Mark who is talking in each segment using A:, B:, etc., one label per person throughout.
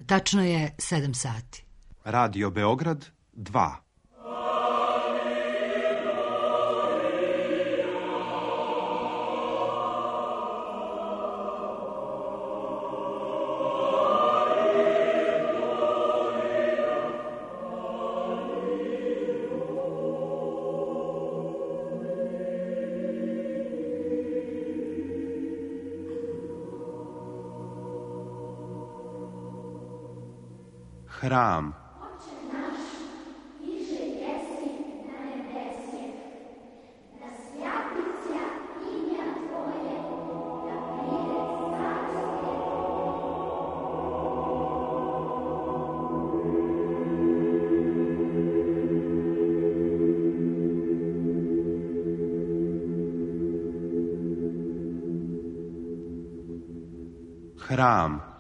A: Tačno je 7 sati.
B: Radio Beograd 2. Hram. Hram.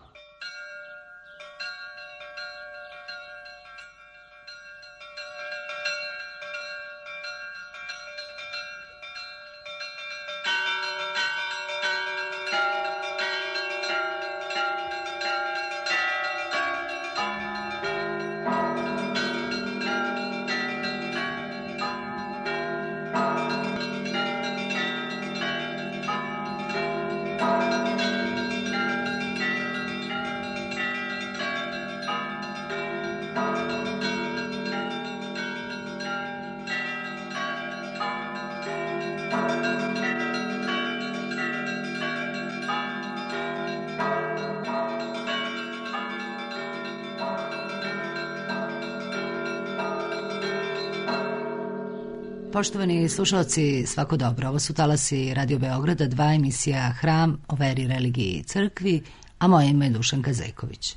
A: Poštovani slušalci, svako dobro. Ovo su talasi Radio Beograda 2, emisija Hram o veri, religiji i crkvi, a moje ime je Dušanka Zejković.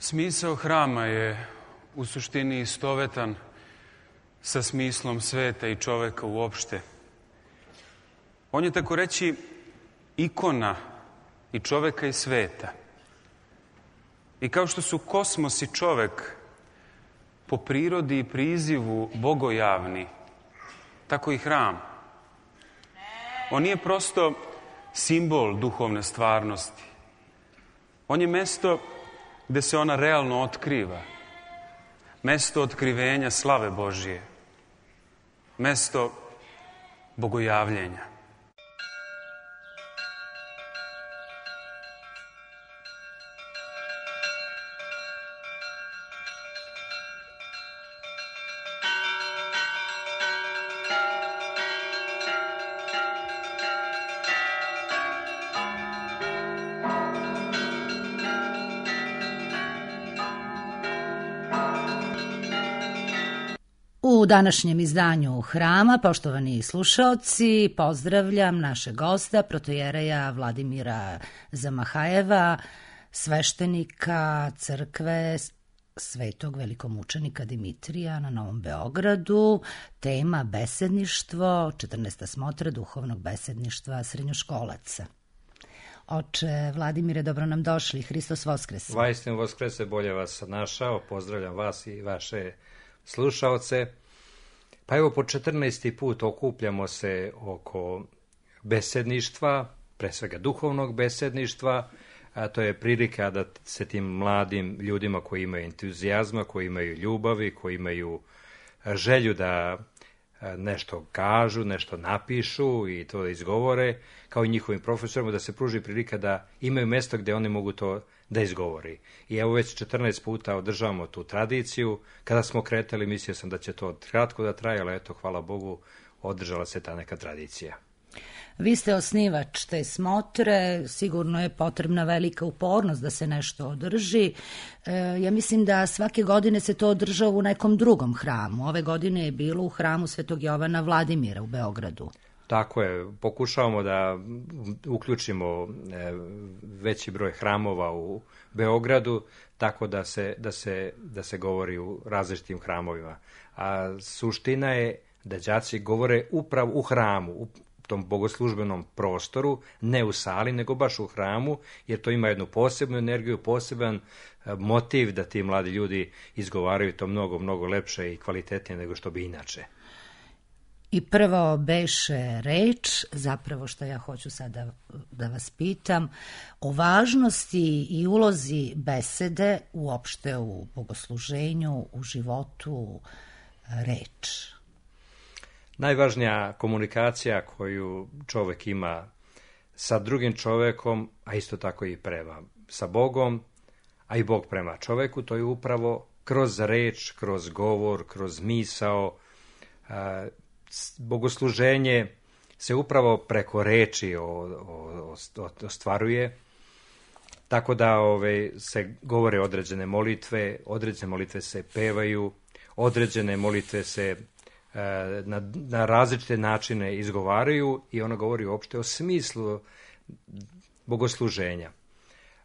C: Smisao hrama je u suštini istovetan sa smislom sveta i čoveka uopšte. On je tako reći ikona i čoveka i sveta. I kao što su kosmos i čovek po prirodi i prizivu bogojavni, tako i hram. On nije prosto simbol duhovne stvarnosti. On je mesto gde se ona realno otkriva. Mesto otkrivenja slave Božije. Mesto bogojavljenja.
A: U današnjem izdanju Hrama, poštovani slušaoci, pozdravljam našeg gosta, protojereja Vladimira Zamahajeva, sveštenika crkve Svetog velikomučenika Dimitrija na Novom Beogradu. Tema besedništvo, 14. smotra duhovnog besedništva srednjoškolaca. Oče Vladimire, dobro nam došli, Hristos Voskrese.
D: Vaistinu Voskrese, bolje vas našao, pozdravljam vas i vaše slušaoce. Pa evo, po 14. put okupljamo se oko besedništva, pre svega duhovnog besedništva, a to je prilika da se tim mladim ljudima koji imaju entuzijazma, koji imaju ljubavi, koji imaju želju da nešto kažu, nešto napišu i to izgovore, kao i njihovim profesorima, da se pruži prilika da imaju mesto gde oni mogu to da izgovori. I evo već 14 puta održavamo tu tradiciju. Kada smo kretali, mislio sam da će to kratko da traje, ali eto, hvala Bogu, održala se ta neka tradicija.
A: Vi ste osnivač te smotre, sigurno je potrebna velika upornost da se nešto održi. Ja mislim da svake godine se to održava u nekom drugom hramu. Ove godine je bilo u hramu Svetog Jovana Vladimira u Beogradu.
D: Tako je, pokušavamo da uključimo veći broj hramova u Beogradu, tako da se govori u različitim hramovima. A suština je da đaci govore upravo u hramu, u tom bogoslužbenom prostoru, ne u sali, nego baš u hramu, jer to ima jednu posebnu energiju, poseban motiv da ti mladi ljudi izgovaraju to mnogo, mnogo lepše i kvalitetnije nego što bi inače.
A: I prvo beše reč, zapravo što ja hoću sada da vas pitam, o važnosti i ulozi besede uopšte u bogosluženju, u životu, reč.
D: Najvažnija komunikacija koju čovek ima sa drugim čovekom, a isto tako i sa Bogom, a i Bog prema čoveku, to je upravo kroz reč, kroz govor, kroz misao. Bogosluženje se upravo preko reči ostvaruje, tako da se govore određene molitve se pevaju, određene molitve se na različite načine izgovaraju i ona govori uopšte o smislu bogosluženja.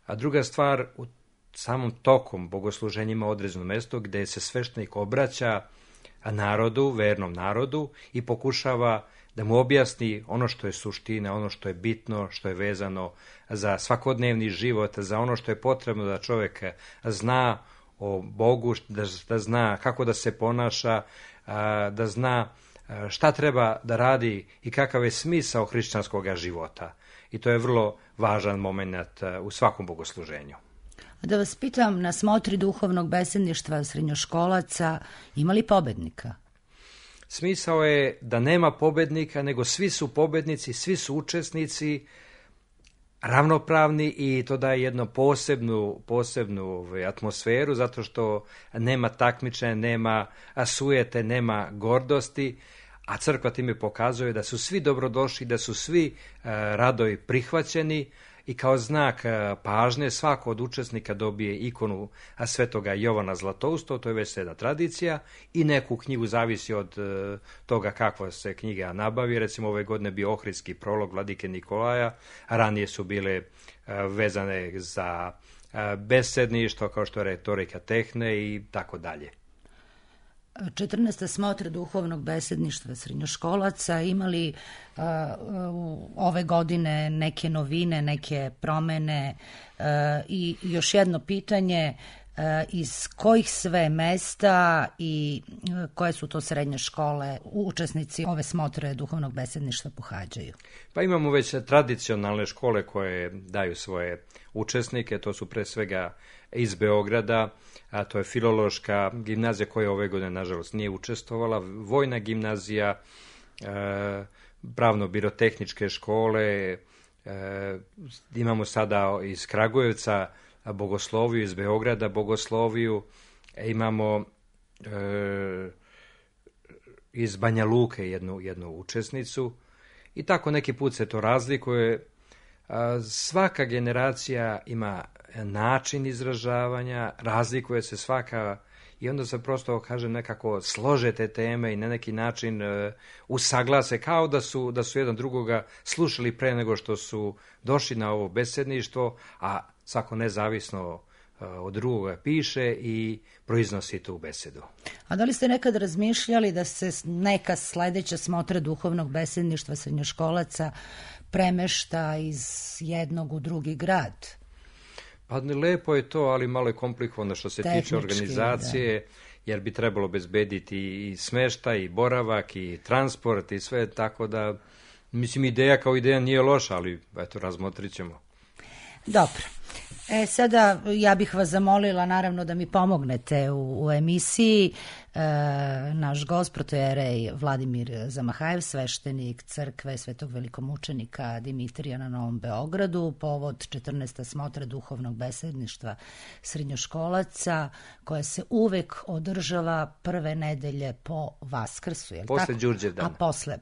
D: A druga stvar, u samom tokom bogosluženja ima određeno mesto gde se sveštenik obraća narodu, vernom narodu i pokušava da mu objasni ono što je suština, ono što je bitno, što je vezano za svakodnevni život, za ono što je potrebno da čovjek zna o Bogu, da zna kako da se ponaša, da zna šta treba da radi i kakav je smisao hrišćanskog života. I to je vrlo važan moment u svakom bogosluženju.
A: Da vas pitam, na smotri duhovnog besedništva srednjoškolaca ima li pobednika?
D: Smisao je da nema pobednika, nego svi su pobednici, svi su učesnici, ravnopravni i to daje jednu posebnu atmosferu, zato što nema takmičenja, nema sujete, nema gordosti, a crkva time pokazuje da su svi dobrodošli, da su svi rado i prihvaćeni i kao znak pažnje svako od učesnika dobije ikonu Svetoga Jovana Zlatousta, to je već jedna tradicija, i neku knjigu, zavisi od toga kakva se knjiga nabavi. Recimo ove godine bio Ohridski prolog Vladike Nikolaja, a ranije su bile vezane za besedništvo, kao što je retorika tehne i tako dalje.
A: 14. smotra duhovnog besedništva srednjoškolaca imali ove godine neke novine, neke promene i još jedno pitanje, iz kojih sve mesta i koje su to srednje škole učesnici ove smotre duhovnog besedništva pohađaju?
D: Pa imamo već tradicionalne škole koje daju svoje učesnike, to su pre svega iz Beograda, a to je Filološka gimnazija koja ove godine nažalost nije učestvovala, Vojna gimnazija, pravno-birotehničke škole, imamo sada iz Kragujevca bogosloviju, iz Beograda bogosloviju, imamo iz Banja Luke jednu učesnicu i tako neki put se to razlikuje. Svaka generacija ima način izražavanja, razlikuje se svaka i onda se prosto, kažem, nekako slože te teme i na neki način usaglase kao da su jedan drugoga slušali pre nego što su došli na ovo besedništvo, a svako nezavisno od drugoga piše i proiznosi tu besedu.
A: A da li ste nekad razmišljali da se neka sledeća smotra duhovnog besedništva srednjoškolaca premešta iz jednog u drugi grad?
D: Pa lepo je to, ali malo je komplikovano što se tiče organizacije, jer bi trebalo bezbediti i smeštaj, i boravak, i transport, i sve, tako da, mislim, ideja kao ideja nije loša, ali eto, razmotrit ćemo.
A: Dobro. Sada ja bih vas zamolila naravno da mi pomognete u emisiji. naš gost, protojerej Vladimir Zamahajev, sveštenik crkve Svetog velikomučenika Dimitrija na Novom Beogradu, povod 14. smotre duhovnog besedništva srednjoškolaca, koja se uvek održava prve nedelje po Vaskrsu.
D: Posle Đurđevdana.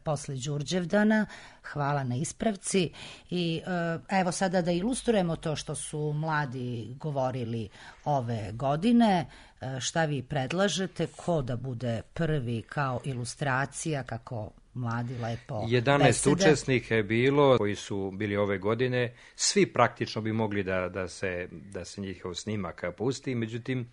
A: Posle Đurđevdana. Hvala na ispravci. I evo sada da ilustrujemo to što su mladi govorili ove godine. Šta vi predlažete, ko da bude prvi kao ilustracija, kako mladi lepo
D: 11
A: besede.
D: učesnika je bilo koji su bili ove godine. Svi praktično bi mogli da se njihov snimak pusti, međutim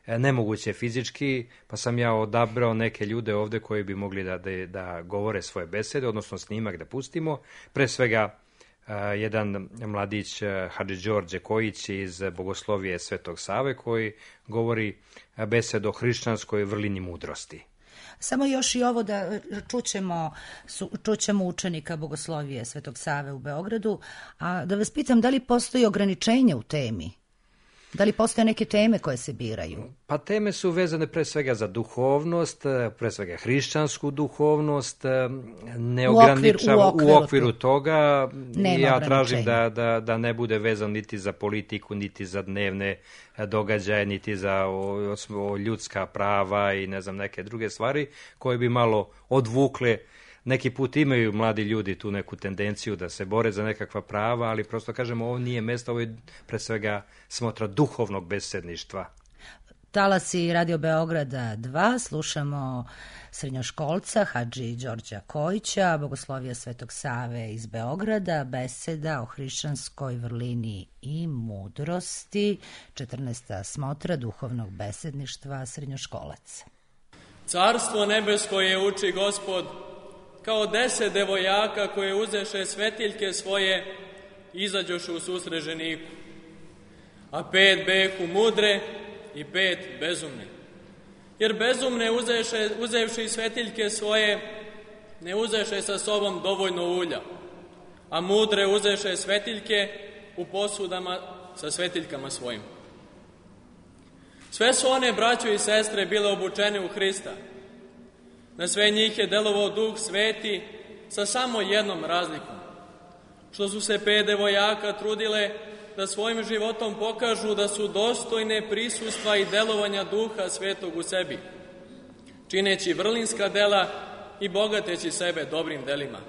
D: nemoguće fizički, pa sam ja odabrao neke ljude ovde koji bi mogli da govore svoje besede, odnosno snimak da pustimo. Pre svega jedan mladić Hadži Đorđe Kojić iz Bogoslovije Svetog Save koji govori besedu o hrišćanskoj vrlini mudrosti.
A: Samo još i ovo da čućemo učenika Bogoslovije Svetog Save u Beogradu, a da vas pitam da li postoji ograničenje u temi? Da li postoje neke teme koje se biraju?
D: Pa teme su vezane pre svega za duhovnost, pre svega hrišćansku duhovnost, ne ograničava u okviru toga. Ja tražim da ne bude vezan niti za politiku, niti za dnevne događaje, niti za ljudska prava i ne znam neke druge stvari koje bi malo odvukle. Neki put imaju mladi ljudi tu neku tendenciju da se bore za nekakva prava, ali prosto kažemo ovo nije mesto, ovo je pre svega smotra duhovnog besedništva.
A: Talasi Radio Beograda 2, slušamo srednjoškolca Hadži Đorđa Kojića, Bogoslovija Svetog Save iz Beograda, beseda o hrišćanskoj vrlini i mudrosti, 14. smotra duhovnog besedništva srednjoškolaca.
E: Carstvo nebesko je, uči Gospod, kao 10 devojaka koje uzeše svetiljke svoje, izađoše u susret ženiku. A 5 beku mudre i 5 bezumne. Jer bezumne uzevši svetiljke svoje, ne uzeše sa sobom dovoljno ulja, a mudre uzeše svetiljke u posudama sa svetiljkama svojim. Sve su one, braćo i sestre, bile obučene u Hrista. Na sve njih je delovao Duh Sveti sa samo jednom razlikom, što su se 5 devojaka trudile da svojim životom pokažu da su dostojne prisustva i delovanja Duha Svetog u sebi, čineći vrlinska dela i bogateći sebe dobrim delima.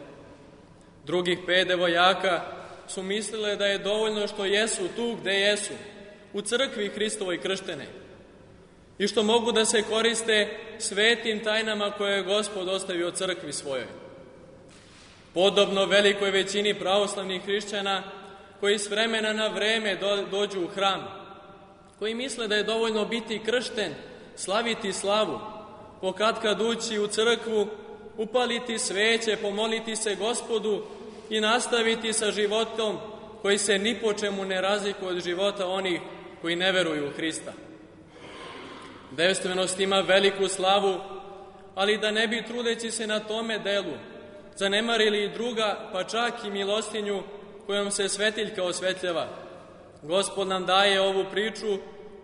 E: Drugih 5 devojaka su mislile da je dovoljno što jesu tu gde jesu, u crkvi Hristovoj krštene, i što mogu da se koriste svetim tajnama koje je Gospod ostavio crkvi svojoj. Podobno velikoj većini pravoslavnih hrišćana koji s vremena na vreme dođu u hram, koji misle da je dovoljno biti kršten, slaviti slavu, pokatkad ući u crkvu, upaliti sveće, pomoliti se Gospodu i nastaviti sa životom koji se ni po čemu ne razlikuje od života onih koji ne veruju u Hrista. Devstvenost ima veliku slavu, ali da ne bi, trudeći se na tome delu, zanemarili i druga, pa čak i milostinju kojom se svetiljka osvetljava. Gospod nam daje ovu priču,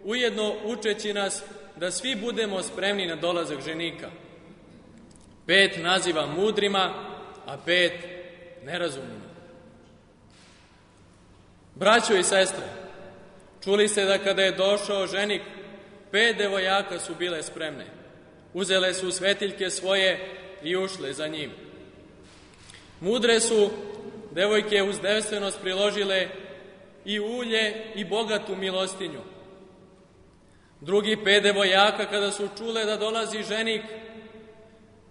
E: ujedno učeći nas da svi budemo spremni na dolazak ženika. 5 naziva mudrima, a 5 nerazumnima. Braćo i sestre, čuli ste da kada je došao ženik, 5 devojaka su bile spremne. Uzele su svetiljke svoje i ušle za njim. Mudre su devojke uz devstvenost priložile i ulje i bogatu milostinju. Drugi 5 devojaka, kada su čule da dolazi ženik,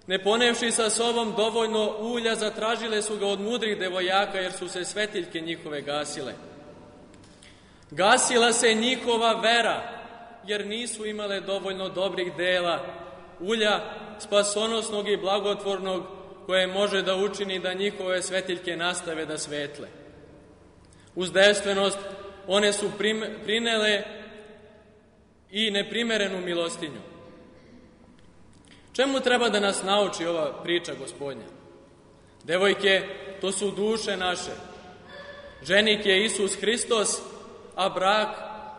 E: ne ponevši sa sobom dovoljno ulja, zatražile su ga od mudrih devojaka, jer su se svetiljke njihove gasile. Gasila se njihova vera, jer nisu imale dovoljno dobrih dela, ulja spasonosnog i blagotvornog, koje može da učini da njihove svetiljke nastave da svetle. Uz devstvenost one su prinele i neprimerenu milostinju. Čemu treba da nas nauči ova priča Gospodnja? Devojke, to su duše naše. Ženik je Isus Hristos, a brak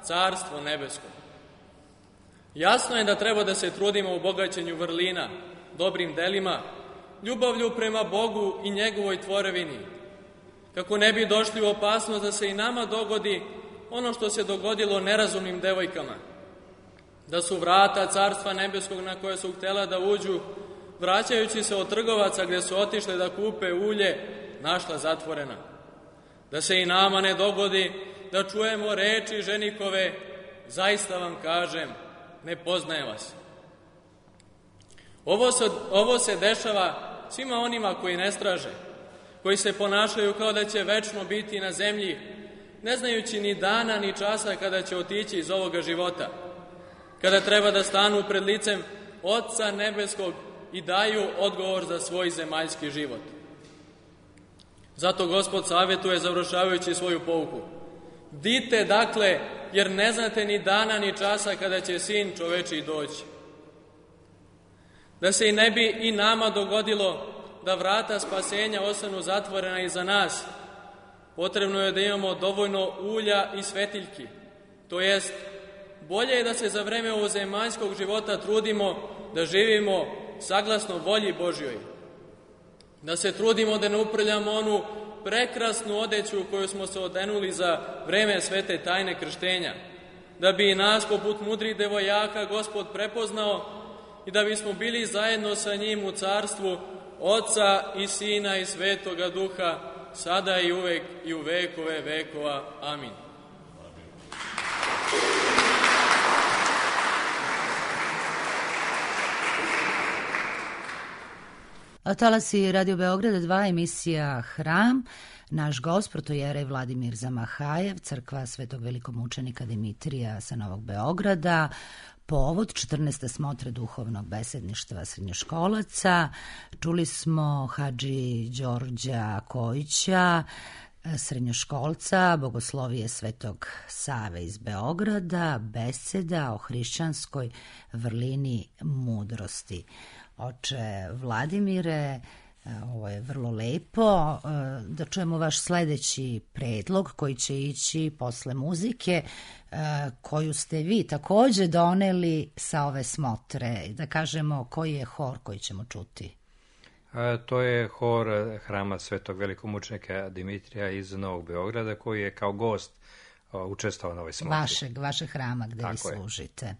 E: Carstvo nebesko. Jasno je da treba da se trudimo u bogaćenju vrlina, dobrim delima, ljubavlju prema Bogu i njegovoj tvorevini, kako ne bi došli u opasnost da se i nama dogodi ono što se dogodilo nerazumnim devojkama, da su vrata Carstva nebeskog na koje su htjela da uđu, vraćajući se od trgovaca gdje su otišle da kupe ulje, našla zatvorena. Da se i nama ne dogodi da čujemo reči ženikove, zaista vam kažem, ne poznajem vas. Ovo se dešava svima onima koji ne straže, koji se ponašaju kao da će večno biti na zemlji, ne znajući ni dana ni časa kada će otići iz ovoga života, kada treba da stanu pred licem Otca nebeskog i daju odgovor za svoj zemaljski život. Zato Gospod savjetuje, završavajući svoju pouku: bdite dakle, jer ne znate ni dana ni časa kada će Sin čovečiji doći. Da se i ne bi i nama dogodilo da vrata spasenja ostanu zatvorena iza nas, potrebno je da imamo dovoljno ulja i svetiljki. To jest, bolje je da se za vreme ovog zemaljskog života trudimo da živimo saglasno volji Božjoj. Da se trudimo da ne uprljamo onu prekrasnu odeću u koju smo se odenuli za vreme svete tajne krštenja, da bi i nas poput mudrih devojaka Gospod prepoznao i da bismo bili zajedno sa njim u carstvu Oca i Sina i Svetoga Duha, sada i uvek i u vekove vekova. Amin.
A: Talasi Radio Beograda 2, emisija Hram. Naš gost, protojerej Vladimir Zamahajev, crkva Svetog velikomučenika Dimitrija sa Novog Beograda, povod 14. smotre duhovnog besedništva srednjoškolaca. Čuli smo Hadži Đorđa Kojića, srednjoškolca, bogoslovije Svetog Save iz Beograda, beseda o hrišćanskoj vrlini mudrosti. Oče Vladimire, ovo je vrlo lepo. Da čujemo vaš sledeći predlog koji će ići posle muzike koju ste vi takođe doneli sa ove smotre. Da kažemo koji je hor koji ćemo čuti.
D: To je hor Hrama Svetog velikomučenika Dimitrija iz Novog Beograda, koji je kao gost učestvovao na ovoj smotri.
A: Vašeg hrama gde vi služite.
D: Je.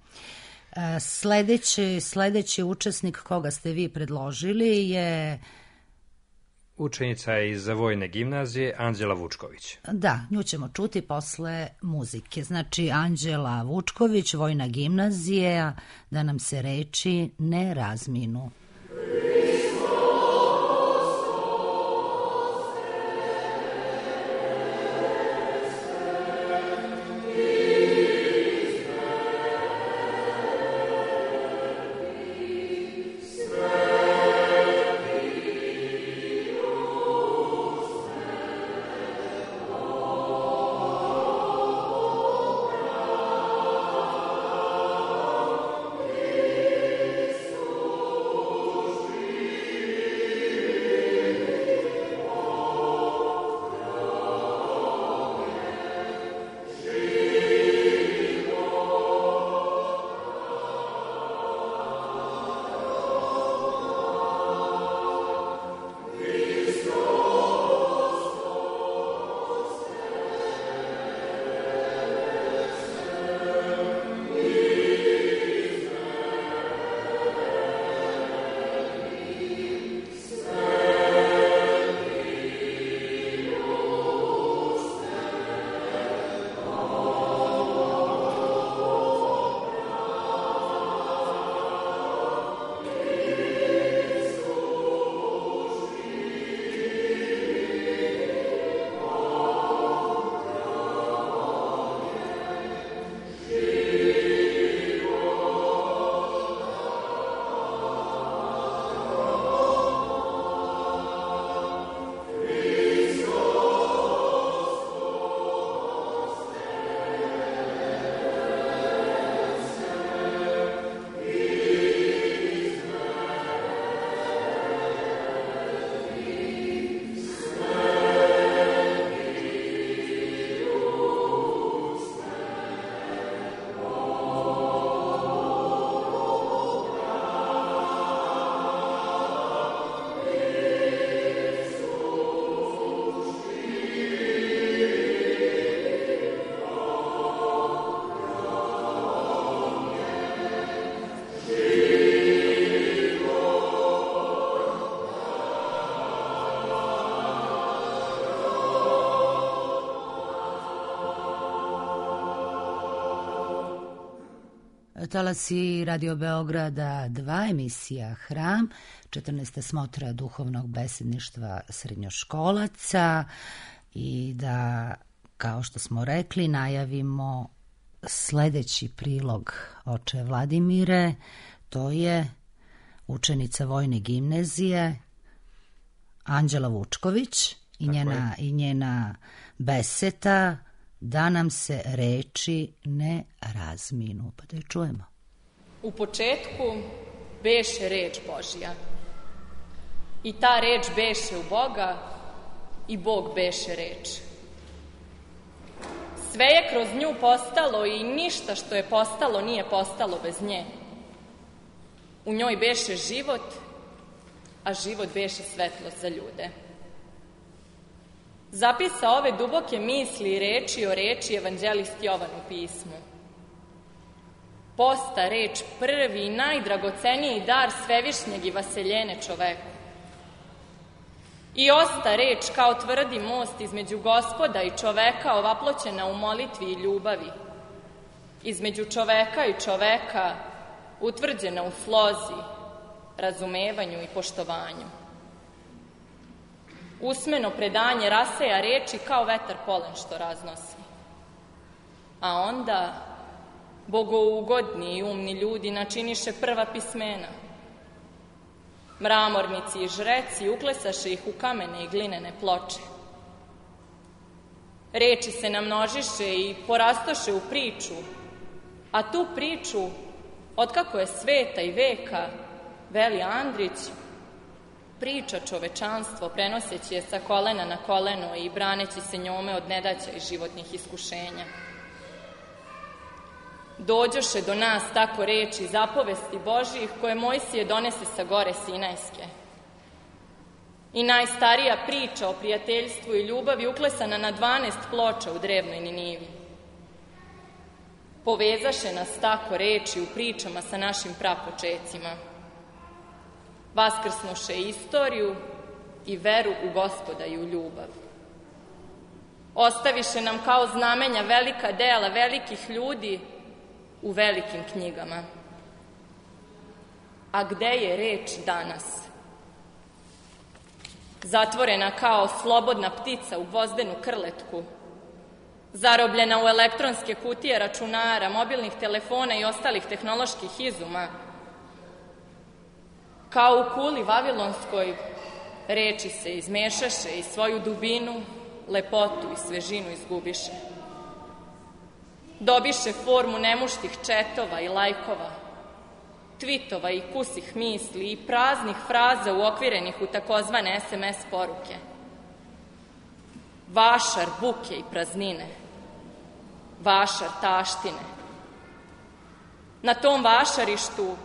A: Sledeći učesnik koga ste vi predložili je
D: učenica iz Vojne gimnazije, Anđela Vučković.
A: Da, nju ćemo čuti posle muzike. Znači, Anđela Vučković, Vojna gimnazija, da nam se reči ne razminu. talasima Radio Beograda 2, emisija Hram, 14. smotra duhovnog besedništva srednjoškolaca i da, kao što smo rekli, najavimo sledeći prilog oče Vladimire, to je učenica Vojne gimnazije Anđela Vučković i njena beseda Da nam se reči ne razminu. Pa da je čujemo.
F: U početku beše reč Božja. I ta reč beše u Boga i Bog beše reč. Sve je kroz nju postalo i ništa što je postalo nije postalo bez nje. U njoj beše život, a život beše svetlost za ljude. Zapisa ove duboke misli i reči o reči evanđelist Jovan u pismu. Posta reč prvi i najdragoceniji dar svevišnjeg i vaseljene čoveku. I osta reč kao tvrdi most između Gospoda i čoveka ovaploćena u molitvi i ljubavi. Između čoveka i čoveka utvrđena u slozi, razumevanju i poštovanju. Usmeno predanje raseja reči kao vetar polen što raznosi. A onda bogougodni i umni ljudi načiniše prva pismena. Mramornici i žreci uklesaše ih u kamene i glinene ploče. Reči se namnožiše i porastoše u priču, a tu priču, otkako je sveta i veka, veli Andrić, priča čovečanstvo, prenoseći je sa kolena na koleno i braneći se njome od nedaća i životnih iskušenja. Dođoše do nas tako reči zapovesti Božjih koje Mojsije donese sa gore Sinajske. I najstarija priča o prijateljstvu i ljubavi uklesana na 12 ploča u drevnoj Ninivi. Povezaše nas tako reči u pričama sa našim prapočecima. Vaskrsnuše istoriju i veru u Gospoda i u ljubav. Ostaviše nam kao znamenja velika dela velikih ljudi u velikim knjigama. A gde je reč danas? Zatvorena kao slobodna ptica u gvozdenu krletku, zarobljena u elektronske kutije računara, mobilnih telefona i ostalih tehnoloških izuma, kao u kuli vavilonskoj, reči se izmešaše i svoju dubinu, lepotu i svežinu izgubiše. Dobiše formu nemuštih četova i lajkova, tvitova i kusih misli i praznih fraza uokvirenih u takozvane SMS poruke. Vašar buke i praznine, vašar taštine. Na tom vašarištu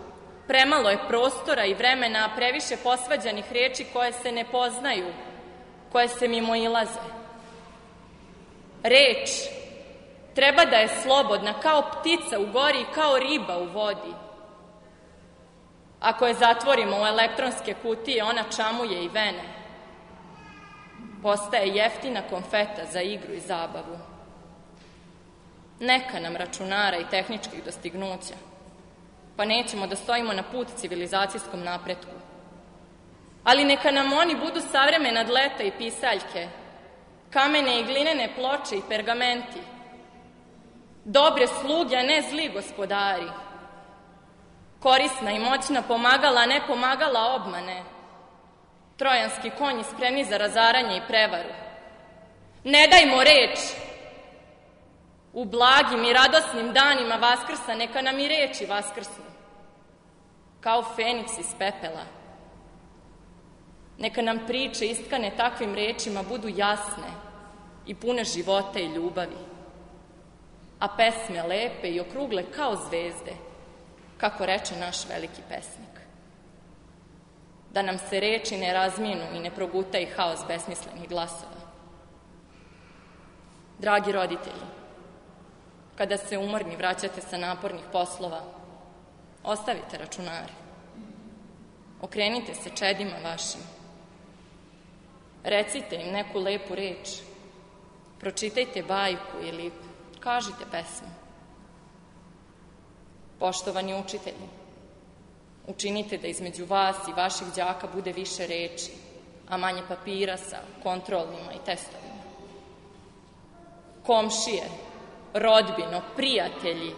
F: premalo je prostora i vremena, a previše posvađanih reči koje se ne poznaju, koje se mimoilaze. Reč treba da je slobodna, kao ptica u gori i kao riba u vodi. Ako je zatvorimo u elektronske kutije, ona čamuje i vene. Postaje jeftina konfeta za igru i zabavu. Neka nam računara i tehničkih dostignuća, pa nećemo da stojimo na put civilizacijskom napretku. Ali neka nam oni budu savremena dleta i pisaljke, kamene i glinene ploče i pergamenti, dobre sluge, a ne zli gospodari, korisna i moćna pomagala, a ne pomagala obmane, trojanski konji spremni za razaranje i prevaru. Ne dajmo reč! U blagim i radosnim danima Vaskrsa neka nam i reči vaskrsnu, kao Feniks iz pepela. Neka nam priče istkane takvim rečima budu jasne i pune života i ljubavi, a pesme lepe i okrugle kao zvezde, kako reče naš veliki pesnik. Da nam se reči ne razminu i ne proguta i haos besmislenih glasova. Dragi roditelji, kada se umorni vraćate sa napornih poslova, ostavite računare. Okrenite se čedima vašim. Recite im neku lepu reč. Pročitajte bajku ili kažite pesmu. Poštovani učitelji, učinite da između vas i vaših đaka bude više reči, a manje papira sa kontrolnima i testovima. Komšije, rodbino, prijatelji,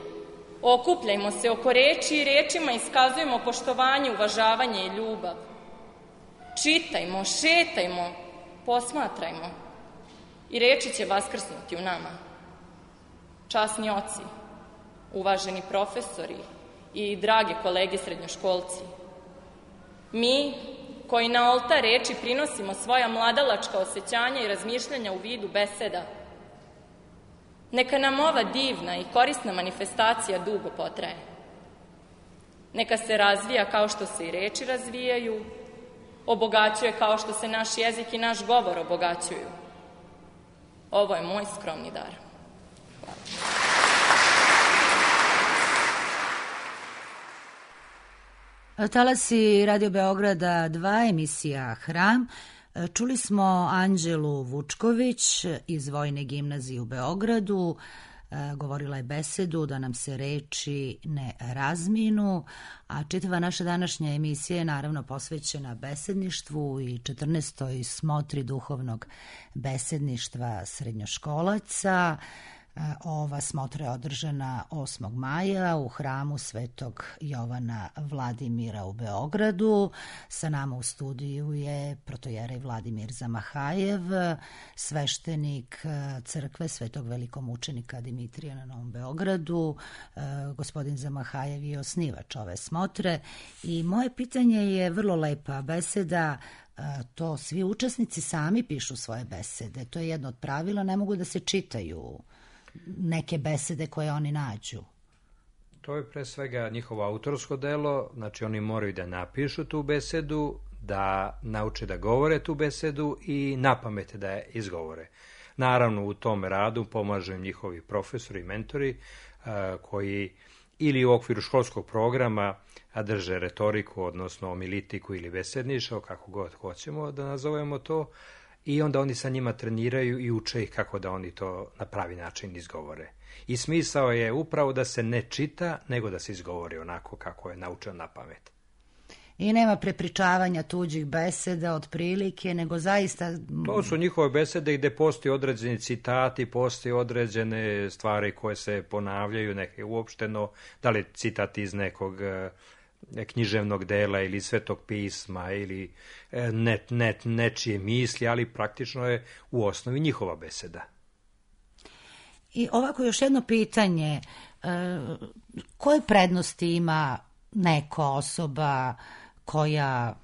F: okupljajmo se oko reči i rečima iskazujemo poštovanje, uvažavanje i ljubav. Čitajmo, šetajmo, posmatrajmo i reči će vaskrsnuti u nama. Časni oci, uvaženi profesori i drage kolege srednjoškolci, mi koji na oltar reči prinosimo svoja mladalačka osjećanja i razmišljanja u vidu beseda, neka nam ova divna i korisna manifestacija dugo potraje. Neka se razvija kao što se i reči razvijaju, obogaćuje kao što se naš jezik i naš govor obogaćuju. Ovo je moj skromni dar. Hvala.
A: Talasi Radio Beograda 2, emisija Hram. Čuli smo Anđelu Vučković iz Vojne gimnazije u Beogradu. Govorila je besedu da nam se reči ne razminu, a čitava naša današnja emisija je naravno posvećena besedništvu i 14. smotri duhovnog besedništva srednjoškolaca. Ova smotra je održana 8. maja u hramu Svetog Jovana Vladimira u Beogradu. Sa nama u studiju je protojerej Vladimir Zamahajev, sveštenik crkve Svetog velikomučenika Dimitrija na Novom Beogradu. Gospodin Zamahajev je osnivač ove smotre i moje pitanje je vrlo lepa beseda. To svi učesnici sami pišu svoje besede. To je jedno od pravila, ne mogu da se čitaju neke besede koje oni nađu.
D: To je pre svega njihovo autorsko delo, znači oni moraju da napišu tu besedu, da nauče da govore tu besedu i napamet da je izgovore. Naravno, u tom radu pomažu im njihovi profesori i mentori koji ili u okviru školskog programa drže retoriku, odnosno omilitiku ili besedništvo, kako god hoćemo da nazovemo to, i onda oni sa njima treniraju i uče ih kako da oni to na pravi način izgovore. I smisao je upravo da se ne čita, nego da se izgovori onako kako je naučen na pamet.
A: I nema prepričavanja tuđih beseda otprilike, nego zaista...
D: To su njihove besede gde postoji određeni citati, postoji određene stvari koje se ponavljaju, neke uopšteno, da li citat iz nekog književnog dela ili Svetog pisma ili nečije misli, ali praktično je u osnovi njihova beseda.
A: I ovako još jedno pitanje, koje prednosti ima neka osoba koja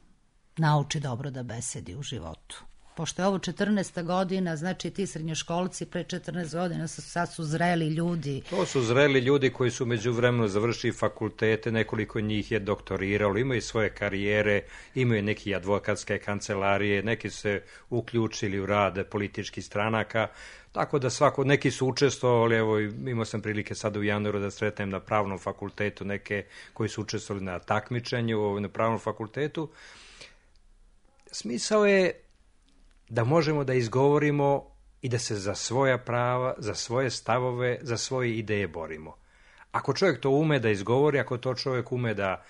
A: nauči dobro da besedi u životu? Pošto je ovo 14. godina, znači ti srednjoškolci pre 14 godina sad su zreli ljudi.
D: To su zreli ljudi koji su međuvremeno završili fakultete, nekoliko njih je doktoriralo, imaju svoje karijere, imaju neki advokatske kancelarije, neki su se uključili u rad političkih stranaka, tako da neki su učestvovali, evo imao sam prilike sada u januaru da sretnem na pravnom fakultetu neke koji su učestvovali na takmičenju na pravnom fakultetu. Smisao je da možemo da izgovorimo i da se za svoja prava, za svoje stavove, za svoje ideje borimo. Ako čovjek to ume da izgovori, ako to čovjek ume da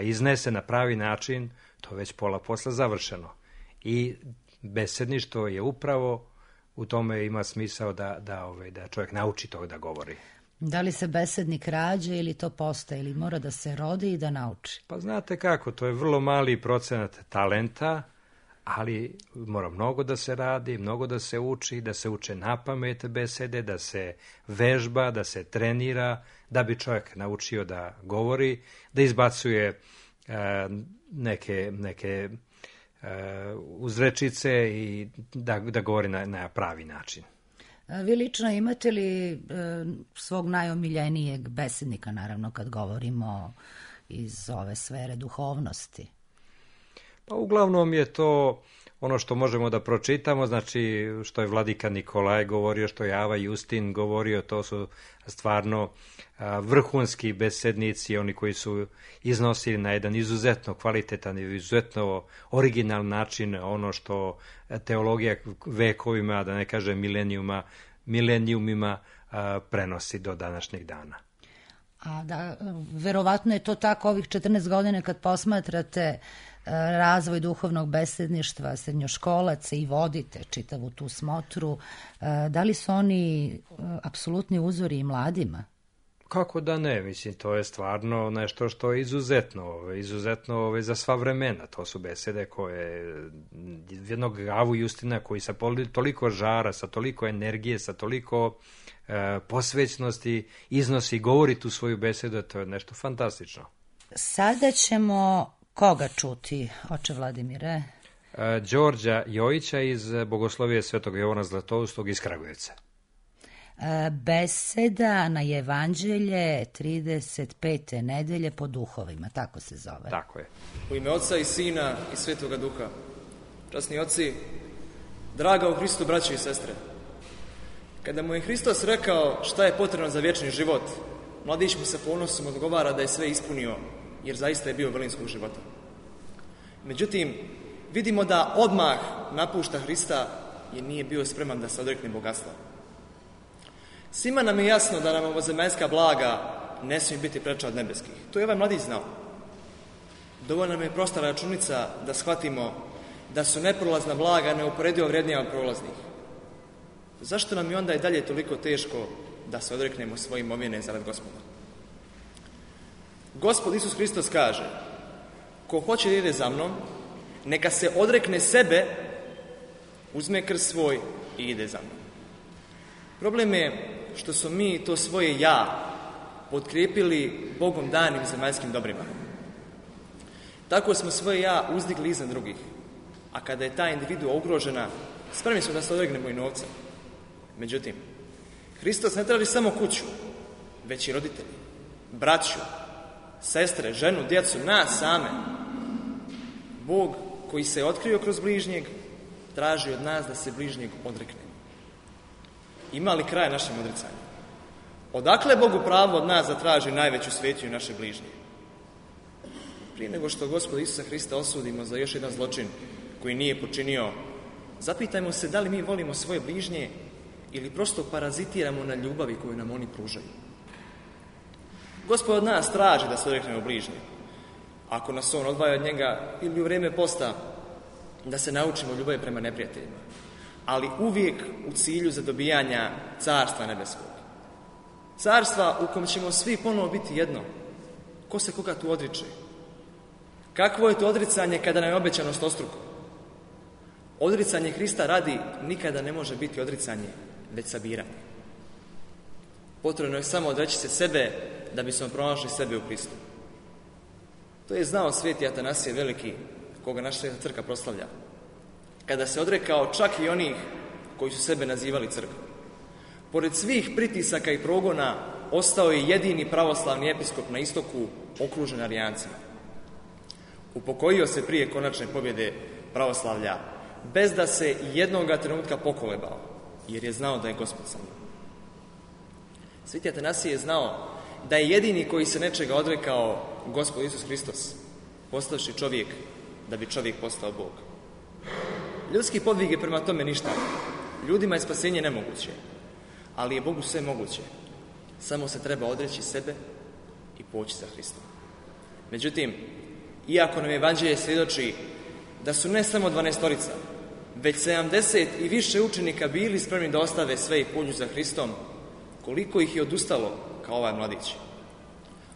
D: iznese na pravi način, to je već pola posla završeno. I besedništvo je upravo u tome ima smisao da čovjek nauči to da govori.
A: Da li se besednik rađa ili to postaje, ili mora da se rodi i da nauči?
D: Pa znate kako, to je vrlo mali procenat talenta, ali mora mnogo da se radi, mnogo da se uči, da se uče napamet besede, da se vežba, da se trenira, da bi čovjek naučio da govori, da izbacuje neke uzrečice i da govori na pravi način.
A: Vi lično imate li svog najomiljenijeg besednika, naravno kad govorimo iz ove sfere duhovnosti?
D: Pa uglavnom je to ono što možemo da pročitamo, znači što je vladika Nikolaj govorio, što je Ava Justin govorio, to su stvarno vrhunski besednici, oni koji su iznosili na jedan izuzetno kvalitetan i izuzetno original način ono što teologija vekovima, da ne kažem milenijumima, prenosi do današnjeg dana.
A: A da, verovatno je to tako ovih 14 godina kad posmatrate razvoj duhovnog besedništva srednjoškolaca i vodite čitavu tu smotru. Da li su oni apsolutni uzori i mladima?
D: Kako da ne, mislim, to je stvarno nešto što je izuzetno za sva vremena. To su besede koje jednog Gavu Justina koji sa toliko žara, sa toliko energije, sa toliko posvećnosti iznosi i govori tu svoju besedu, to je nešto fantastično.
A: Sada ćemo koga čuti, oče Vladimire?
D: Đorđa Jojića iz Bogoslovije Svetog Jovana Zlatoustog iz Kragujevca.
A: Beseda na Evanđelje 35. nedelje po duhovima, tako se zove.
D: Tako je.
E: U ime Oca i Sina i Svetoga Duha. Časni oci, draga u Hristu braće i sestre, kada mu je Hristos rekao šta je potrebno za vječni život, mladić mu se ponosom odgovara da je sve ispunio, jer zaista je bio vrlinskog života. Međutim, vidimo da odmah napušta Hrista jer nije bio spreman da se odrekne bogatstva. Svima nam je jasno da nam ovozemaljska blaga ne smije biti preča od nebeskih. To je ovaj mladić znao. Dovoljna nam je prosta računica da shvatimo da su neprolazna blaga neuporedivo vrijednija od prolaznih. Zašto nam je onda i dalje toliko teško da se odreknemo svoje imovine zarad Gospoda? Gospod Isus Hristos kaže: ko hoće da ide za mnom, neka se odrekne sebe, uzme krst svoj i ide za mnom. Problem je što smo mi to svoje ja potkrijepili Bogom danim zemaljskim dobrima. Tako smo svoje ja uzdigli iznad drugih, a kada je ta individua ugrožena, spremni smo da se odregnemo i novca. Međutim, Hristos ne traži samo kuću, već i roditelji, braću, sestre, ženu, djecu, nas same. Bog koji se je otkrio kroz bližnjeg traži od nas da se bližnjeg odreknemo. Ima li kraj našem odricanju? Odakle je Bogu pravo od nas da traži najveću svetinju naše bližnje? Prije nego što Gospoda Isusa Hrista osudimo za još jedan zločin koji nije počinio, zapitajmo se da li mi volimo svoje bližnje ili prosto parazitiramo na ljubavi koju nam oni pružaju. Gospod od nas traži da se odreknemo bližnje. Ako nas on odvaja od njega ili u vrijeme posta, da se naučimo ljubavi prema neprijateljima, ali uvijek u cilju zadobijanja carstva nebeskog. Carstva u kom ćemo svi ponovo biti jedno. Ko se koga tu odriče? Kakvo je to odricanje kada nam je obećano stostruko? Odricanje Hrista radi nikada ne može biti odricanje, već sabiranje. Potrebno je samo odreći se sebe da bismo pronašli sebe u Hristu. To je znao sveti Atanasije Veliki, koga naša sveta crkva proslavlja, kada se odrekao čak i onih koji su sebe nazivali crkvom. Pored svih pritisaka i progona, ostao je jedini pravoslavni episkop na istoku, okružen Arijancima. Upokojio se prije konačne pobjede pravoslavlja, bez da se jednoga trenutka pokolebao, jer je znao da je Gospod sa njim. Sveti Atanasije je znao da je jedini koji se nečega odrekao Gospod Isus Hristos, postavši čovjek da bi čovjek postao Bog. Ljudski podvig je prema tome ništa. Ljudima je spasenje nemoguće, ali je Bogu sve moguće. Samo se treba odreći sebe i poći za Hristom. Međutim, iako nam Evanđelje svjedoči da su ne samo 12-torica, već 70 i više učenika bili spremni da ostave sve i pođu za Hristom, koliko ih je odustalo kao ovaj mladić?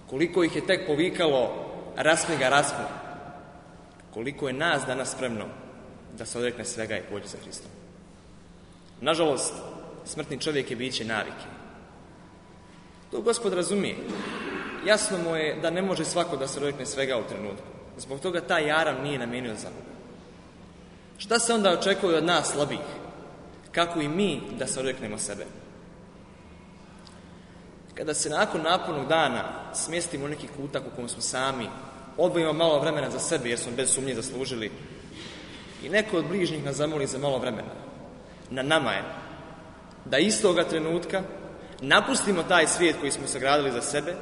E: Koliko ih je tek povikalo raspni ga, raspni? Koliko je nas danas spremno da se odrekne svega i pođe za Hristom? Nažalost, smrtni čovjek je biće navike. To Gospod razumije. Jasno mu je da ne može svako da se odrekne svega u trenutku. Zbog toga taj jaram nije namijenio za Boga. Šta se onda očekuje od nas slabih? Kako i mi da se odreknemo sebe? Kada se nakon napornog dana smjestimo u neki kutak u kojem smo sami, odvojimo malo vremena za sebe jer smo bez sumnje zaslužili i neko od bližnjih nas zamoli za malo vremena, na nama je da istoga trenutka napustimo taj svijet koji smo sagradili za sebe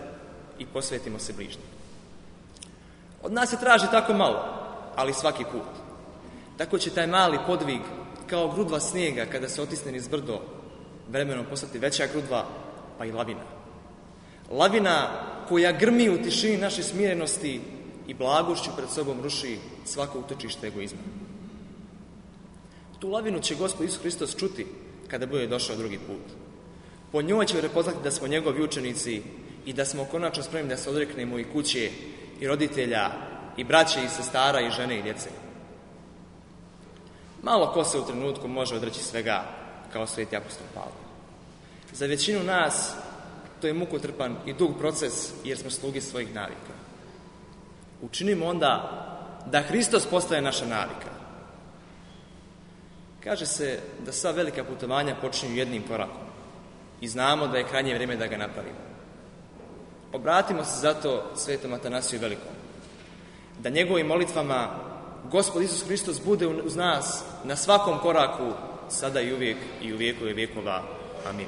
E: i posvetimo se bližnjim. Od nas se traži tako malo, ali svaki put. Tako će taj mali podvig, kao grudva snijega kada se otisne niz brdo, vremenom postati veća grudva, pa i lavina.
G: lavina koja grmi u tišini naše smirenosti i blagošću pred sobom ruši svako utočište egoizma. Tu lavinu će Gospod Isus Hristos čuti kada bude došao drugi put. Po njoj će prepoznati da smo njegovi učenici i da smo konačno spremni da se odreknemo i kuće, i roditelja, i braće, i sestara, i žene, i djece. Malo ko se u trenutku može odreći svega kao sveti apostol Pavle. Za većinu nas to je mukotrpan i dug proces jer smo sluge svojih navika. Učinimo onda da Hristos postaje naša navika. Kaže se da sva velika putovanja počinju jednim korakom i znamo da je krajnje vrijeme da ga napravimo. Obratimo se zato svetom Atanasiju Velikom, da njegovim molitvama Gospod Isus Hristos bude uz nas na svakom koraku, sada i uvijek i u vijekove vijekova. Amin.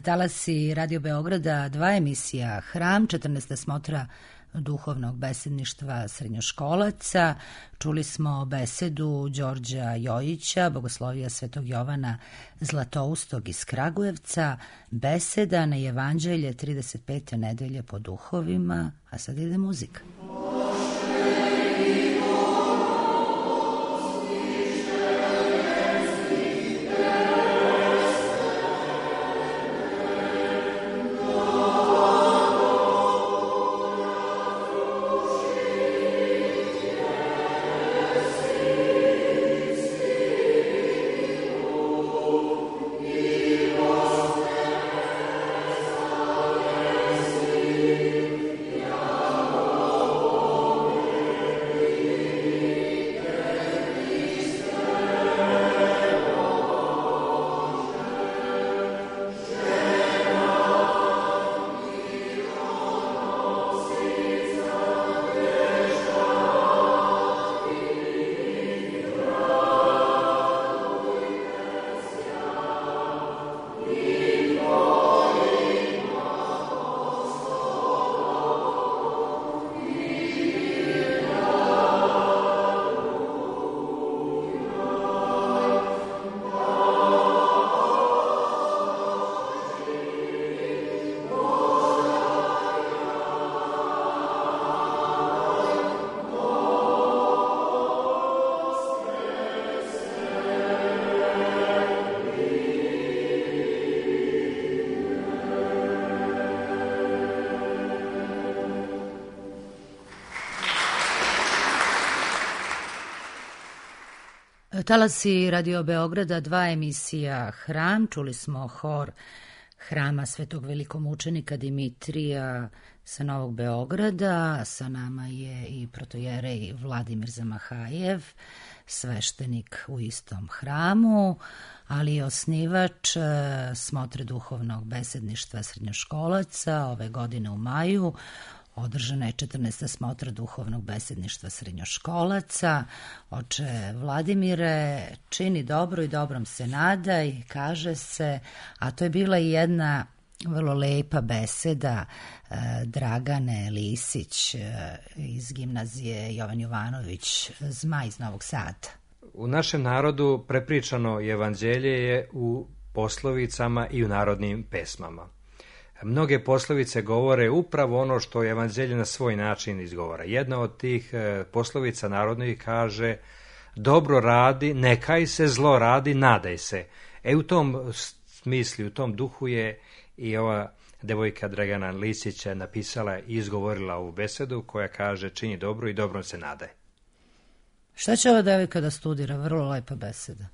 A: Talasi Radio Beograda, 2 emisija Hram, 14. smotra duhovnog besedništva srednjoškolaca. Čuli smo besedu Đorđa Jojića, bogoslovija Svetog Jovana Zlatoustog iz Kragujevca, beseda na Evanđelje 35. nedelje po duhovima, a sad ide muzika. Talasi Radio Beograda, 2 emisija Hram. Čuli smo hor Hrama Svetog velikomučenika Dimitrija sa Novog Beograda. Sa nama je i protojerej Vladimir Zamahajev, sveštenik u istom hramu, ali i osnivač smotre duhovnog besedništva srednjoškolaca. Ove godine u maju održana je 14. smotra duhovnog besedništva srednjoškolaca. Oče Vladimire, čini dobro i dobrom se nadaj, kaže se, a to je bila i jedna vrlo lepa beseda Dragane Lisić iz gimnazije Jovan Jovanović Zmaj iz Novog Sada.
D: U našem narodu prepričano evanđelje je u poslovicama i u narodnim pesmama. Mnoge poslovice govore upravo ono što evanđelje na svoj način izgovara. Jedna od tih poslovica narodnih kaže: dobro radi, nekaj se, zlo radi, nadaj se. U tom smislu, u tom duhu je i ova devojka Dragana Lisića napisala i izgovorila ovu besedu koja kaže: čini dobro i dobrom se nadaj.
A: Šta će ova devojka da studira? Vrlo lepa beseda.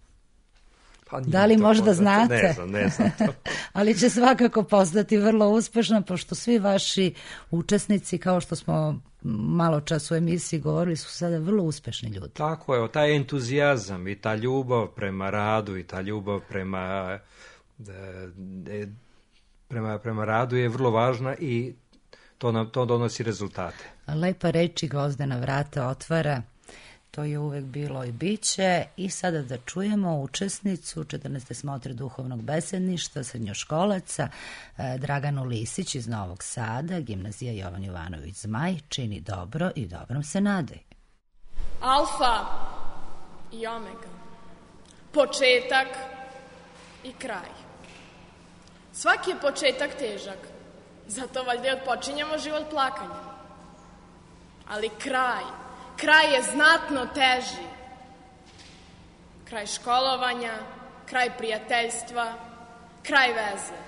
A: Pa da li možda znate?
D: Ne znam to.
A: Ali će svakako postati vrlo uspešna, pošto svi vaši učesnici, kao što smo malo čas u emisiji govorili, su sada vrlo uspešni ljudi.
D: Tako je, taj entuzijazam i ta ljubav prema radu i ta ljubav prema radu je vrlo važna i to donosi rezultate.
A: Lepa reči Gvozdena vrata otvara. To je uvek bilo i biće. I sada da čujemo učesnicu 14. smotre duhovnog besedništva srednjoškolaca Draganu Lisić iz Novog Sada, gimnazija Jovan Jovanović Zmaj, čini dobro i dobrom se nadaj.
F: Alfa i omega, početak i kraj. Svaki je početak težak,
H: Zato valjda i odpočinjemo život plakanjem. Ali kraj je znatno teži. Kraj školovanja, kraj prijateljstva, kraj veze.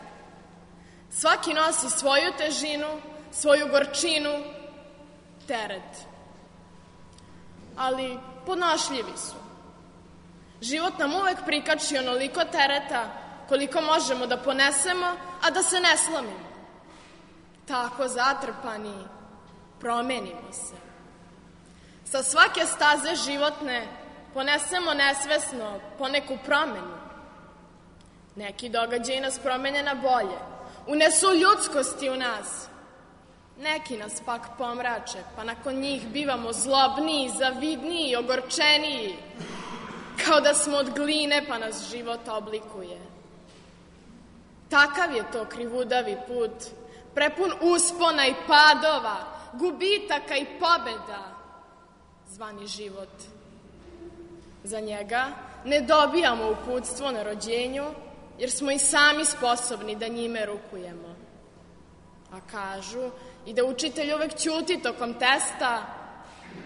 H: Svaki nosi svoju težinu, svoju gorčinu, teret. Ali podnošljivi su. Život nam uvek prikači onoliko tereta koliko možemo da ponesemo, a da se ne slomimo. Tako zatrpani, promenimo se. Sa svake staze životne ponesemo nesvesno poneku promenu. Neki događaji nas promene na bolje, unesu ljudskosti u nas. Neki nas pak pomrače, pa nakon njih bivamo zlobniji, zavidniji, ogorčeniji, kao da smo od gline, pa nas život oblikuje. Takav je to krivudavi put, prepun uspona i padova, gubitaka i pobeda, zvani život. Za njega ne dobijamo uputstvo na rođenju, jer smo i sami sposobni da njime rukujemo. A kažu i da učitelj uvek ćuti tokom testa,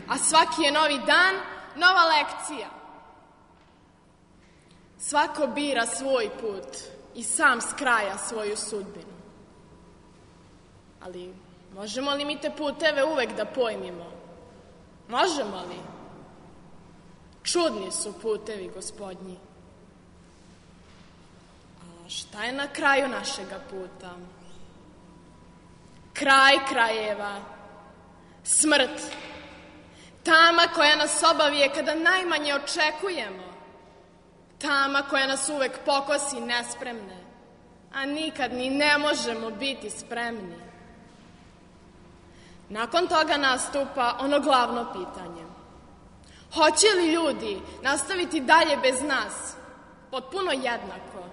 H: a svaki je novi dan, nova lekcija. Svako bira svoj put i sam skraja svoju sudbinu. Ali možemo li mi te puteve uvek da pojmimo? Možemo li? Čudni su putevi, Gospodnji. A šta je na kraju našega puta? Kraj krajeva, smrt, tama koja nas obavije kada najmanje očekujemo, tama koja nas uvek pokosi nespremne, a nikad ni ne možemo biti spremni. Nakon toga nastupa ono glavno pitanje. Hoće li ljudi nastaviti dalje bez nas, potpuno jednako,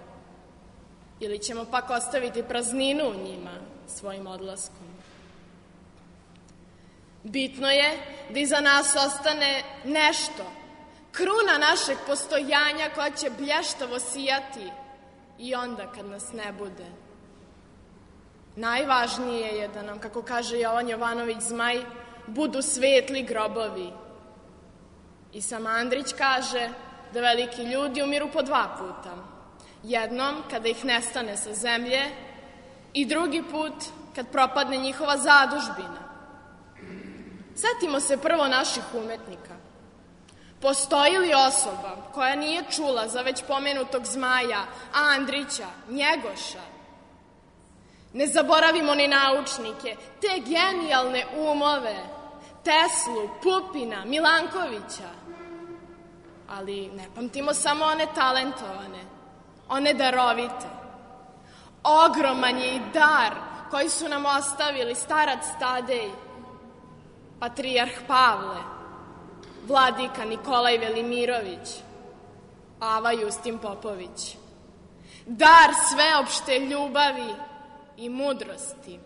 H: ili ćemo pak ostaviti prazninu u njima svojim odlaskom? Bitno je da iza nas ostane nešto, kruna našeg postojanja koja će blještavo sijati i onda kad nas ne bude. Najvažnije je da nam, kako kaže Jovan Jovanović Zmaj, budu svetli grobovi. I sam Andrić kaže da veliki ljudi umiru po 2 puta. Jednom kada ih nestane sa zemlje i drugi put kad propadne njihova zadužbina. Setimo se prvo naših umetnika. Postoji li osoba koja nije čula za već pomenutog Zmaja, Andrića, Njegoša? Ne zaboravimo ni naučnike, te genijalne umove, Teslu, Pupina, Milankovića. Ali ne pamtimo samo one talentovane, one darovite. Ogroman je i dar koji su nam ostavili starac Tadej, patrijarh Pavle, vladika Nikolaj Velimirović, Ava Justin Popović. Dar sveopšte ljubavi i mudrosti.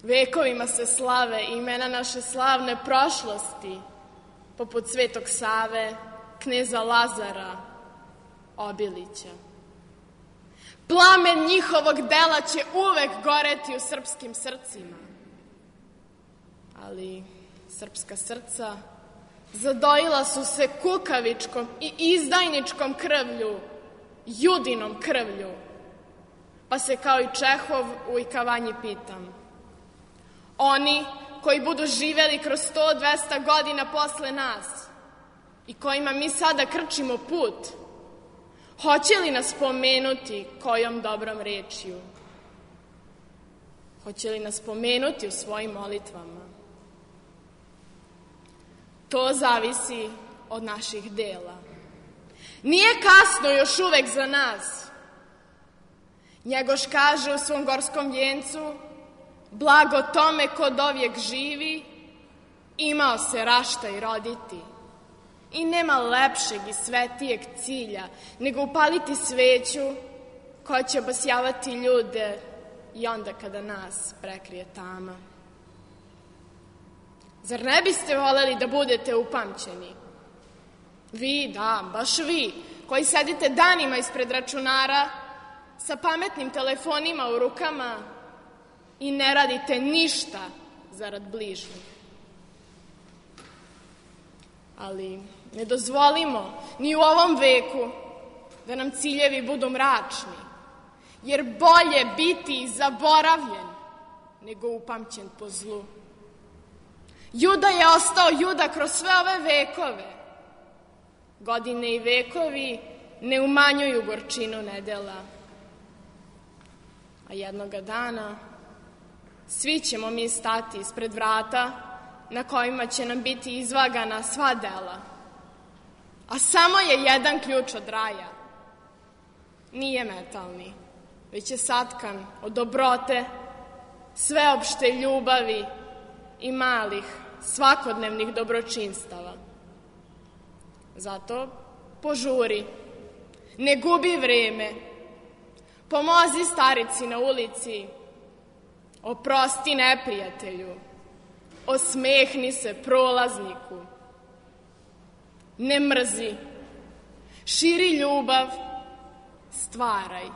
H: Vekovima se slave imena naše slavne prošlosti, poput Svetog Save, kneza Lazara, Obilića. Plamen njihovog dela će uvek goreti u srpskim srcima. Ali srpska srca zadojila su se kukavičkom i izdajničkom krvlju, judinom krvlju. Pa se kao i Čehov u Ikavanji pitam. Oni koji budu živeli kroz 100-200 godina posle nas i kojima mi sada krčimo put, hoće li nas pomenuti kojom dobrom rečju? Hoće li nas pomenuti u svojim molitvama? To zavisi od naših dela. Nije kasno još uvek za nas. Njegoš kaže u svom gorskom vjencu: blago tome ko dovijek živi, imao se rašta i roditi. I nema lepšeg i svetijeg cilja nego upaliti sveću koja će obasjavati ljude i onda kada nas prekrije tama. Zar ne biste voleli da budete upamćeni? Vi, da, baš vi, koji sedite danima ispred računara sa pametnim telefonima u rukama i ne radite ništa zarad bližnjih. Ali ne dozvolimo ni u ovom veku da nam ciljevi budu mračni, jer bolje biti zaboravljen nego upamćen po zlu. Juda je ostao Juda kroz sve ove vekove. Godine i vekovi ne umanjuju gorčinu nedela. A jednoga dana svi ćemo mi stati ispred vrata na kojima će nam biti izvagana sva dela. A samo je jedan ključ od raja. Nije metalni, već je satkan od dobrote, sveopšte ljubavi i malih svakodnevnih dobročinstava. Zato požuri, ne gubi vreme, pomozi starici na ulici, oprosti neprijatelju, osmehni se prolazniku, ne mrzi, širi ljubav, stvaraj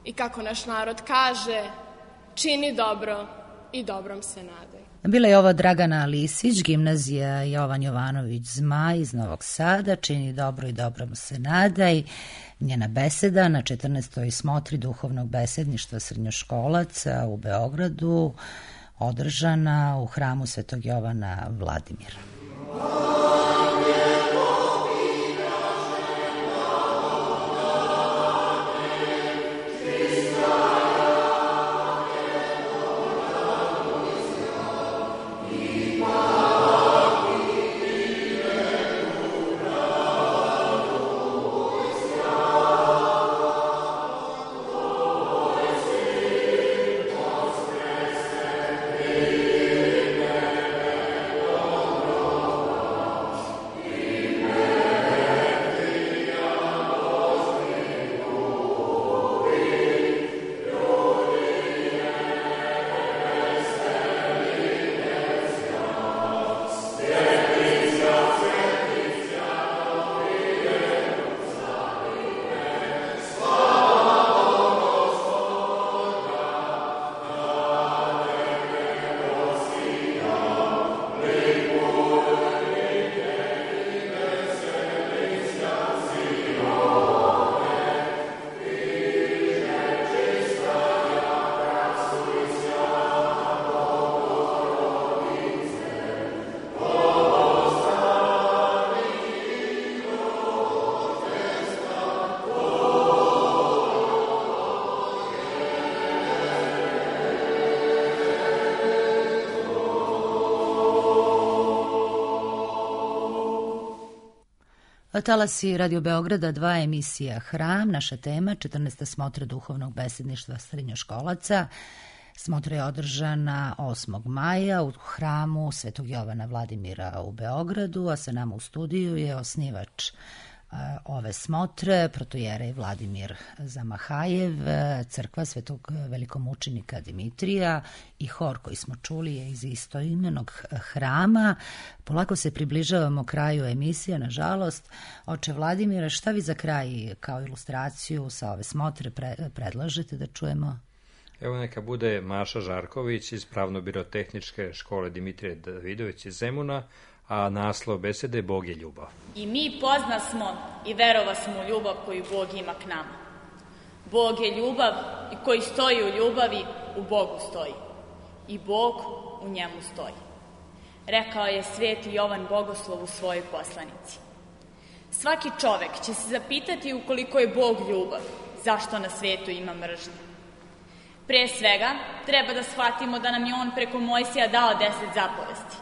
H: i kako naš narod kaže, čini dobro i dobrom se nadaj.
A: Bila je ovo Dragana Lisić, gimnazija Jovan Jovanović Zmaj iz Novog Sada, čini dobro i dobrom se nadaj. Njena beseda na 14. smotri duhovnog besedništva srednjoškolaca u Beogradu, održana u hramu Svetog Jovana Vladimira. Talasi Radio Beograda, 2 emisija Hram, naša tema, 14. smotra duhovnog besedništva srednjoškolaca. Smotra je održana 8. maja u hramu Svetog Jovana Vladimira u Beogradu, a sa nama u studiju je osnivač ove smotre, protojerej Vladimir Zamahajev, crkva Svetog velikomučenika Dimitrija i hor koji smo čuli je iz istoimenog hrama. Polako se približavamo kraju emisije, nažalost. Oče Vladimira, šta vi za kraj kao ilustraciju sa ove smotre predlažete da čujemo?
D: Evo neka bude Maša Žarković iz Pravno-birotehničke škole Dimitrije Davidović iz Zemuna, a naslov besede Bog je ljubav.
F: I mi poznasmo i verovasmo u ljubav koju Bog ima k nama. Bog je ljubav i koji stoji u ljubavi, u Bogu stoji. I Bog u njemu stoji. Rekao je sveti Jovan Bogoslov u svojoj poslanici. Svaki čovek će se zapitati ukoliko je Bog ljubav, zašto na svetu ima mržnje. Pre svega, treba da shvatimo da nam je on preko Mojsija dao 10 zapovesti.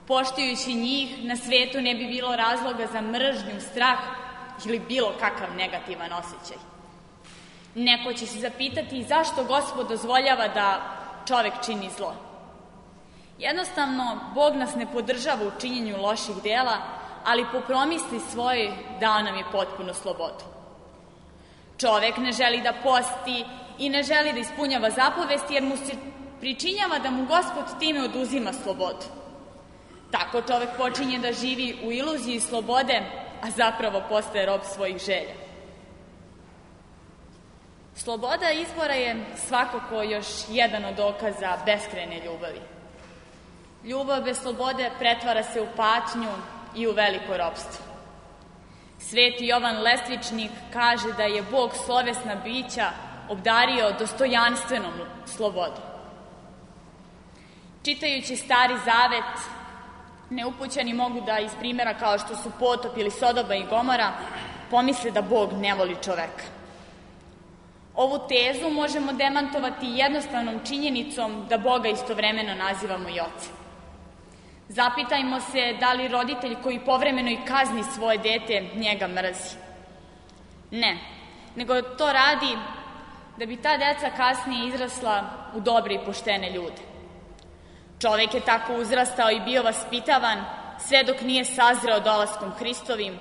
F: Poštujući njih, na svetu ne bi bilo razloga za mržnju, strah ili bilo kakav negativan osjećaj. Neko će se zapitati zašto Gospod dozvoljava da čovek čini zlo. Jednostavno, Bog nas ne podržava u činjenju loših dela, ali po promisli svojoj dao nam je potpunu slobodu. Čovek ne želi da posti i ne želi da ispunjava zapovesti jer mu se pričinjava da mu Gospod time oduzima slobodu. Tako čovek počinje da živi u iluziji slobode a zapravo postaje rob svojih želja. Sloboda izbora je svakako još jedan od dokaza beskrajne ljubavi. Ljubav bez slobode pretvara se u patnju i u veliko ropstvo. Sveti Jovan Lestvičnik kaže da je Bog slovesna bića obdario dostojanstvenom slobodom. Čitajući Stari Zavet, neupućeni mogu da iz primjera kao što su Potop ili Sodoma i Gomora pomisle da Bog ne voli čoveka. Ovu tezu možemo demantovati jednostavnom činjenicom da Boga istovremeno nazivamo i ocem. Zapitajmo se da li roditelj koji povremeno i kazni svoje dete njega mrzi. Ne, nego to radi da bi ta deca kasnije izrasla u dobre i poštene ljude. Čovek je tako uzrastao i bio vaspitavan sve dok nije sazreo dolaskom Hristovim,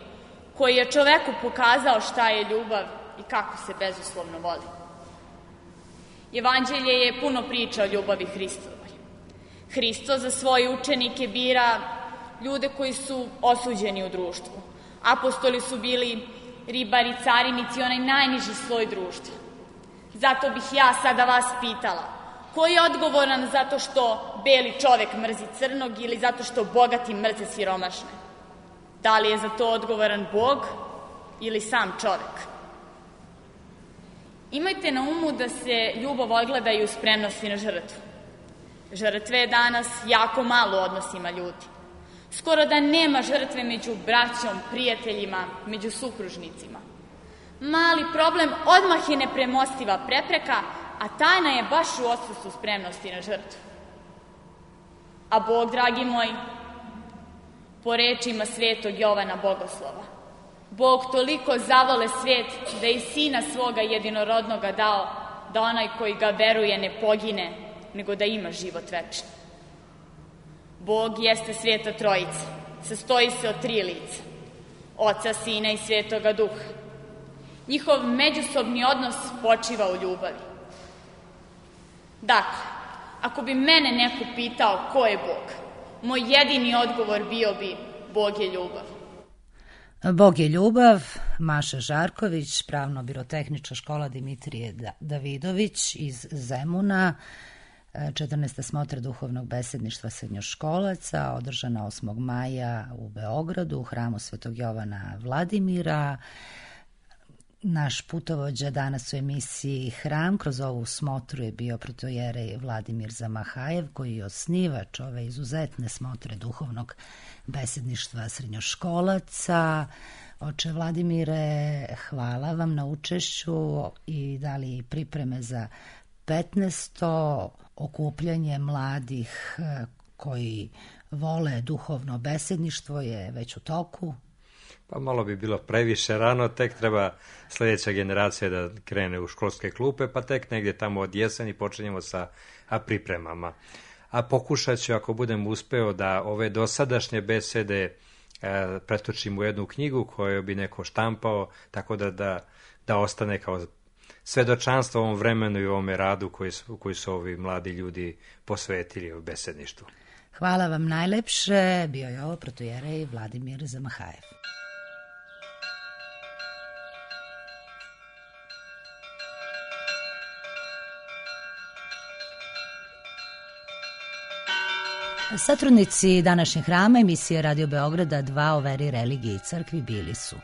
F: koji je čoveku pokazao šta je ljubav i kako se bezuslovno voli. Evanđelje je puno priča o ljubavi Hristovoj. Hristo za svoje učenike bira ljude koji su osuđeni u društvu. Apostoli su bili ribari, carinici, onaj najniži sloj društva. Zato bih ja sada vas pitala, ko je odgovoran zato što beli čovek mrzi crnog ili zato što bogati mrze siromašne? Da li je za to odgovoran Bog ili sam čovek? Imajte na umu da se ljubav ogleda i u spremnosti na žrtvu. Žrtve je danas jako malo u odnosima ljudi. Skoro da nema žrtve među braćom, prijateljima, među supružnicima. Mali problem odmah je nepremostiva prepreka, a tajna je baš u odsustvu spremnosti na žrtvu. A Bog, dragi moji, po rečima svetog Jovana Bogoslova, Bog toliko zavole svet da je sina svoga jedinorodnoga dao, da onaj koji ga veruje ne pogine, nego da ima život večni. Bog jeste Sveta Trojica, sastoji se od 3 lica, Oca, Sina i Svetoga Duha. Njihov međusobni odnos počiva u ljubavi. Dakle, ako bi mene neko pitao ko je Bog, moj jedini odgovor bio bi Bog je ljubav.
A: Bog je ljubav, Maša Žarković, pravno-birotehnička škola Dimitrije Davidović iz Zemuna, 14. smotra duhovnog besedništva srednjoškolaca, održana 8. maja u Beogradu, u hramu Svetog Jovana Vladimira. Naš putovođa danas u emisiji Hram kroz ovu smotru je bio protojerej Vladimir Zamahajev, koji je osnivač ove izuzetne smotre duhovnog besedništva srednjoškolaca. Oče Vladimire, hvala vam na učešću i dali pripreme za 15. okupljanje mladih koji vole duhovno besedništvo je već u toku.
D: Pa malo bi bilo previše rano, tek treba sljedeća generacija da krene u školske klupe, pa tek negdje tamo od jeseni počinjemo sa pripremama. A pokušat ću, ako budem uspeo, da ove dosadašnje besede pretočim u jednu knjigu koju bi neko štampao, tako da ostane kao svedočanstvo ovom vremenu i ovome radu koji su ovi mladi ljudi posvetili u besedništvu.
A: Hvala vam najlepše. Bio je ovo protojerej Vladimir Zamahajev. Satrudnici današnjeg hrama emisije Radio Beograda 2 o veri, religiji i crkvi bili su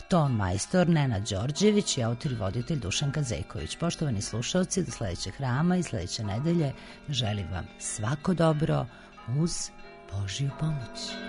A: ton majstor Nenad Đorđević i autor i voditelj Dušan Kazejković. Poštovani slušalci, do sledećeg hrama i sledeće nedelje želim vam svako dobro uz Božju pomoć.